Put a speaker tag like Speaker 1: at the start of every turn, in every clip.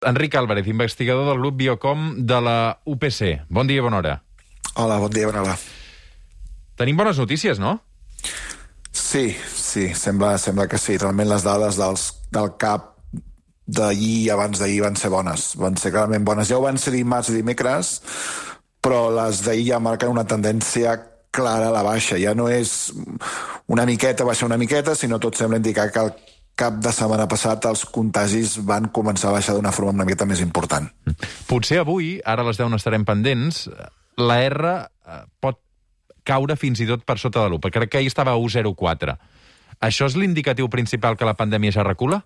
Speaker 1: Enric Álvarez, investigador del grup Biocom de la UPC. Bon dia, bona hora.
Speaker 2: Hola, bon dia, bona hora.
Speaker 1: Tenim bones notícies, no?
Speaker 2: Sí, sembla que sí. Realment les dades del CAP d'ahir i abans d'ahir van ser bones. Van ser clarament bones. Ja ho van ser dimarts i dimecres, però les d'ahir ja marquen una tendència clara a la baixa. Ja no és una miqueta baixar una miqueta, sinó tot sembla indicar que el cap de setmana passat els contagis van començar a baixar d'una forma una miqueta més important.
Speaker 1: Potser avui, ara a les 10 n'estarem pendents, la R pot caure fins i tot per sota de l'1. Crec que ahir estava a 1,04. Això és l'indicatiu principal que la pandèmia ja recula?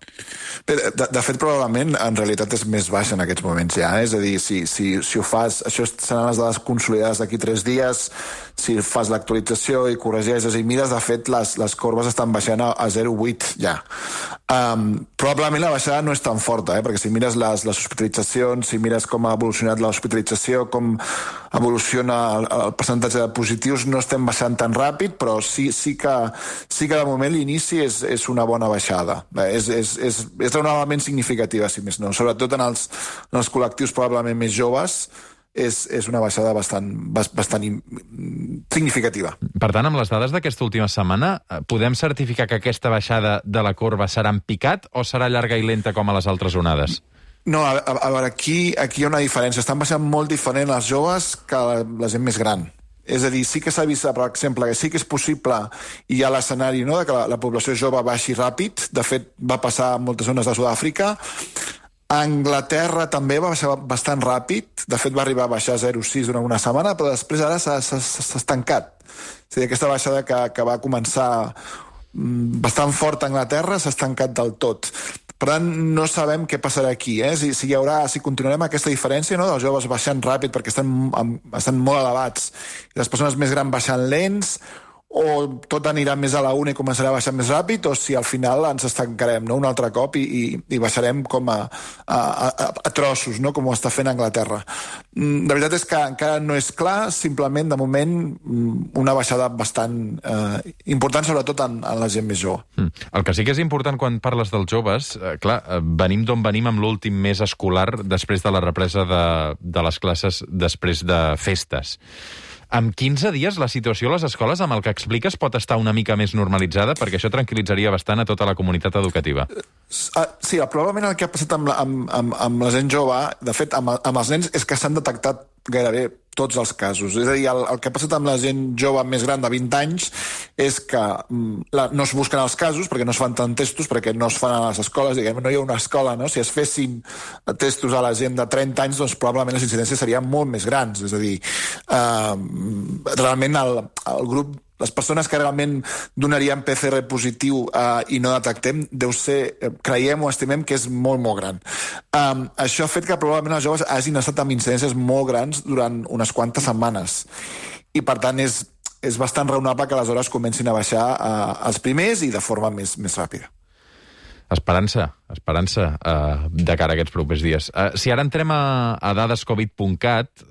Speaker 2: Bé, de fet, probablement, en realitat és més baixa en aquests moments ja. És a dir, si ho fas... Això seran les dades consolidades d'aquí 3 dies. Si fas l'actualització i corregeixes i mires, de fet, les corbes estan baixant a 0,8 ja. Probablement la baixada no és tan forta, perquè si mires les hospitalitzacions, si mires com ha evolucionat l'hospitalització, com evoluciona el percentatge de positius, no estem baixant tan ràpid, però sí que de moment l'inici és una bona baixada. És raonablement significativa, si més no. Sobretot en els col·lectius probablement més joves, és una baixada bastant significativa.
Speaker 1: Per tant, amb les dades d'aquesta última setmana, podem certificar que aquesta baixada de la corba serà en picat o serà llarga i lenta com a les altres onades?
Speaker 2: No, a veure, aquí hi ha una diferència. Estan baixant molt diferent les joves que la gent més gran. És a dir, sí que s'ha vist, per exemple, que sí que és possible, i hi ha l'escenari, no?, de que la població jove baixi ràpid. De fet, va passar en moltes zones de Sud-àfrica. A Anglaterra també va baixar bastant ràpid. De fet, va arribar a baixar 0,6 durant una setmana, però després ara s'ha estancat. És a dir, aquesta baixada que va començar bastant forta a Anglaterra s'ha estancat del tot. Per tant, no sabem què passarà aquí, si continuarem aquesta diferència, no?, dels joves baixant ràpid perquè estan molt elevats i les persones més grans baixant lents, o tot anirà més a la una i començarà a baixar més ràpid, o si al final ens estancarem, no?, un altre cop i baixarem com a trossos, no?, com ho està fent Anglaterra. La veritat és que encara no és clar, simplement, de moment, una baixada bastant important, sobretot en la gent més jove.
Speaker 1: El que sí que és important quan parles dels joves, clar, venim d'on venim amb l'últim mes escolar després de la represa de les classes després de festes. Amb 15 dies la situació a les escoles, amb el que expliques, pot estar una mica més normalitzada, perquè això tranquil·litzaria bastant a tota la comunitat educativa.
Speaker 2: Sí, probablement el que ha passat amb la gent jove, de fet, amb els nens, és que s'han detectat gairebé tots els casos. És a dir, el que ha passat amb la gent jove més gran de 20 anys és que no es busquen els casos perquè no es fan tant testos, perquè no es fan a les escoles, diguem, no hi ha una escola, no? Si es fessin testos a la gent de 30 anys, doncs probablement les incidències serien molt més grans. És a dir, realment el grup, les persones que realment donarien PCR positiu i no detectem, deu ser, creiem o estimem que és molt, molt gran. Això ha fet que probablement els joves hagin estat amb incidències molt grans durant unes quantes setmanes. I, per tant, és bastant raonable que aleshores comencin a baixar els primers i de forma més ràpida.
Speaker 1: Esperança de cara a aquests propers dies. Si ara entrem a dadescovid.cat,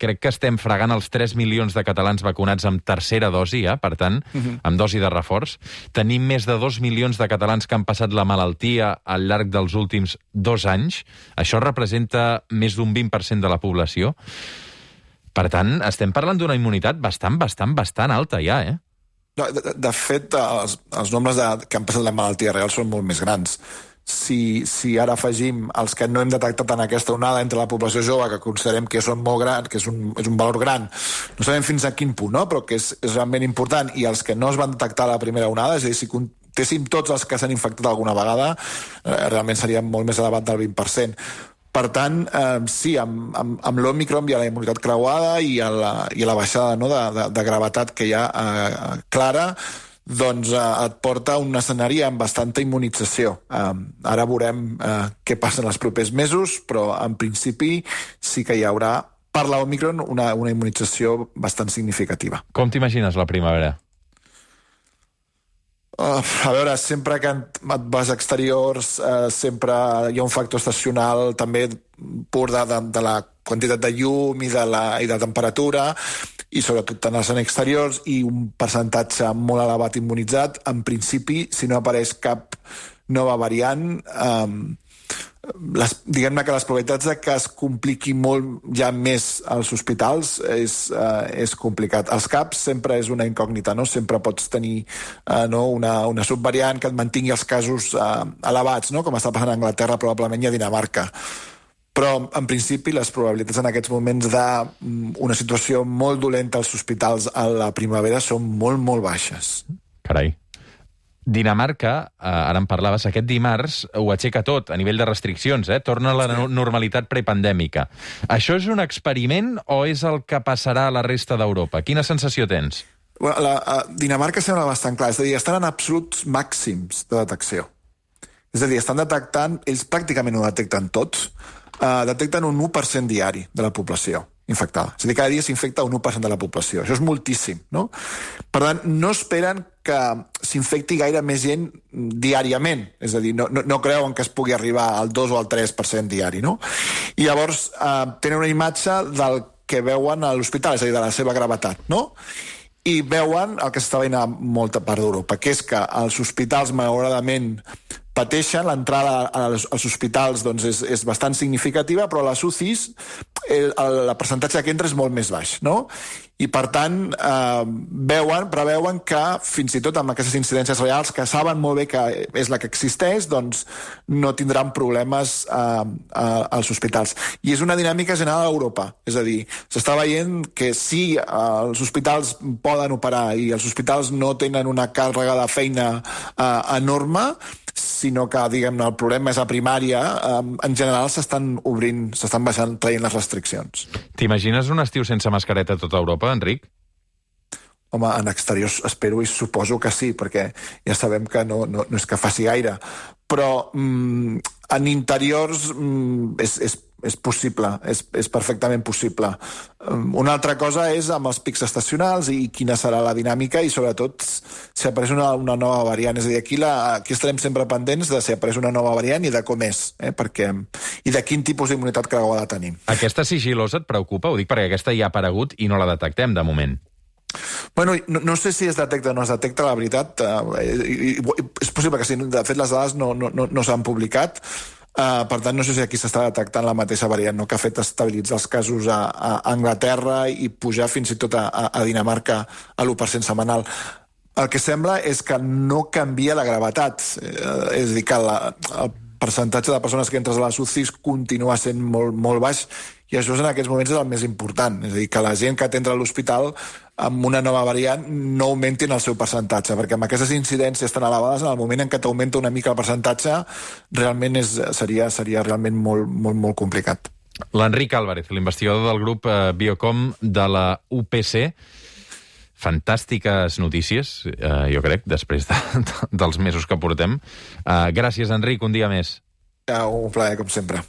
Speaker 1: crec que estem fregant els 3 milions de catalans vacunats amb tercera dosi, per tant, amb dosi de reforç. Tenim més de 2 milions de catalans que han passat la malaltia al llarg dels últims 2 anys. Això representa més d'un 20% de la població. Per tant, estem parlant d'una immunitat bastant alta ja,
Speaker 2: De fet, els nombres que han passat la malaltia real són molt més grans. Si ara afegim els que no hem detectat en aquesta onada entre la població jove, que considerem que són molt grans, que és un valor gran, no sabem fins a quin punt, no?, però que és realment important, i els que no es van detectar a la primera onada, és a dir, si comptéssim tots els que s'han infectat alguna vegada, realment seria molt més elevat del 20%. Per tant, sí, amb l'Òmicron hi ha la immunitat creuada i la baixada, no?, de gravetat que hi ha clara, doncs et porta a un escenari amb bastanta immunització. Ara veurem què passa en els propers mesos, però en principi sí que hi haurà, per l'Òmicron, una immunització bastant significativa.
Speaker 1: Com t'imagines la primavera?
Speaker 2: A veure, sempre que et vas a exteriors, sempre hi ha un factor estacional també pur de la quantitat de llum i de temperatura, i sobretot en els exteriors, i un percentatge molt elevat immunitzat. En principi, si no apareix cap nova variant, diguem-ne que les probabilitats de que es compliqui molt ja més als hospitals és complicat. Els CAPs sempre és una incògnita, no? Sempre pots tenir una subvariant que et mantingui els casos elevats, no? Com està passant a Anglaterra, probablement, i a Dinamarca. Però, en principi, les probabilitats en aquests moments d'una situació molt dolenta als hospitals a la primavera són molt, molt baixes.
Speaker 1: Carai. Dinamarca, ara en parlaves, aquest dimarts ho aixeca tot a nivell de restriccions, torna a la normalitat prepandèmica. Això és un experiment o és el que passarà a la resta d'Europa? Quina sensació tens?
Speaker 2: Dinamarca sembla bastant clar, és a dir, estan en absoluts màxims de detecció. És a dir, estan detectant, ells pràcticament ho detecten tots, detecten un 1% diari de la població infectada. És a dir, cada dia s'infecta un 1% de la població. Això és moltíssim, no? Per tant, no esperen que s'infecti gaire més gent diàriament. És a dir, no creuen que es pugui arribar al 2 o al 3% diari, no? I llavors tenen una imatge del que veuen a l'hospital, és a dir, de la seva gravetat, no? I veuen el que s'està veient a molta part d'Europa, que és que els hospitals, malauradament, pateixen, l'entrada als hospitals doncs, és bastant significativa, però a les UCIs el percentatge que entra és molt més baix, no? I, per tant, preveuen que, fins i tot amb aquestes incidències reals, que saben molt bé que és la que existeix, doncs no tindran problemes als hospitals. I és una dinàmica general a Europa. És a dir, s'està veient que sí, els hospitals poden operar i els hospitals no tenen una càrrega de feina enorme, sinó que, diguem-ne, el problema és a primària. En general s'estan baixant, traient les restriccions.
Speaker 1: T'imagines un estiu sense mascareta a tota Europa, Enric?
Speaker 2: Home, en exteriors espero i suposo que sí, perquè ja sabem que no és que faci gaire. Però en interiors és possible, és perfectament possible. Una altra cosa és amb els pics estacionals i quina serà la dinàmica i, sobretot, si apareix una nova variant. És a dir, aquí estarem sempre pendents de si apareix una nova variant i de com és, i de quin tipus d'immunitat creuada tenim.
Speaker 1: Aquesta sigilosa et preocupa? Ho dic perquè aquesta ja ha aparegut i no la detectem, de moment.
Speaker 2: Bueno, no sé si es detecta o no es detecta, la veritat. És possible que sí. De fet, les dades no s'han publicat. Per tant, no sé si aquí s'està detectant la mateixa variant, no? Que ha fet estabilitzar els casos a Anglaterra i pujar fins i tot a Dinamarca a l'1% setmanal. El que sembla és que no canvia la gravetat. És a dir, que el percentatge de persones que entres a les UCIs continua sent molt, molt baix, i això en aquests moments és el més important. És a dir, que la gent que entra a l'hospital amb una nova variant no augmentin el seu percentatge, perquè amb aquestes incidències tan elevades, en el moment en què t'augmenta una mica el percentatge, realment seria realment molt, molt, molt complicat.
Speaker 1: L'Enric Álvarez, l'investigador del grup Biocom de la UPC. Fantàstiques notícies, jo crec, després dels mesos que portem. Gràcies, Enric, un dia més.
Speaker 2: Un plaer, com sempre.